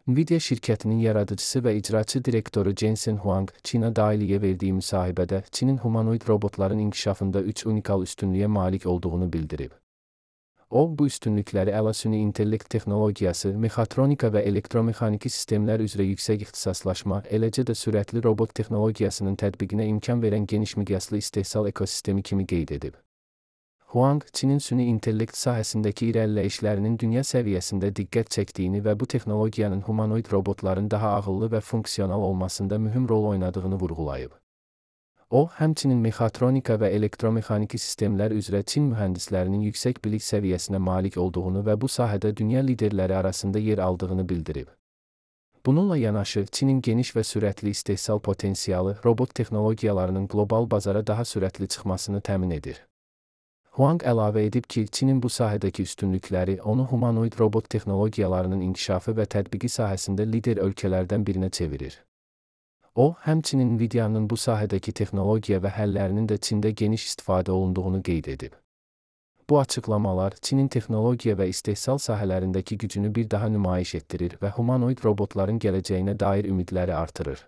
Nvidia şirkətinin yaradıcısı və icraçı direktoru Jensen Huang, Çina Daily'yə verdiyi müsahibədə Çinin humanoid robotların inkişafında 3 unikal üstünlüyə malik olduğunu bildirib. O, bu üstünlükləri əlasüni intellekt texnologiyası, mexatronika və elektromexaniki sistemlər üzrə yüksək ixtisaslaşma, eləcə də sürətli robot texnologiyasının tətbiqinə imkan verən geniş miqyaslı istehsal ekosistemi kimi qeyd edib. Huang, Çinin süni intellekt sahəsindəki irəliləyişlərinin dünya səviyyəsində diqqət çəkdiyini və bu texnologiyanın humanoid robotların daha ağıllı və funksional olmasında mühüm rol oynadığını vurğulayıb. O, həmçinin mexatronika və elektromexaniki sistemlər üzrə Çin mühəndislərinin yüksək bilik səviyyəsinə malik olduğunu və bu sahədə dünya liderləri arasında yer aldığını bildirib. Bununla yanaşı, Çinin geniş və sürətli istehsal potensialı, robot texnologiyalarının qlobal bazara daha sürətli çıxmasını təmin edir. Huang əlavə edib ki, Çinin bu sahədəki üstünlükləri onu humanoid robot texnologiyalarının inkişafı və tətbiqi sahəsində lider ölkələrdən birinə çevirir. O, həmçinin Nvidia'nın bu sahədəki texnologiya və həllərinin də Çində geniş istifadə olunduğunu qeyd edib. Bu açıqlamalar Çinin texnologiya və istehsal sahələrindəki gücünü bir daha nümayiş etdirir və humanoid robotların gələcəyinə dair ümidləri artırır.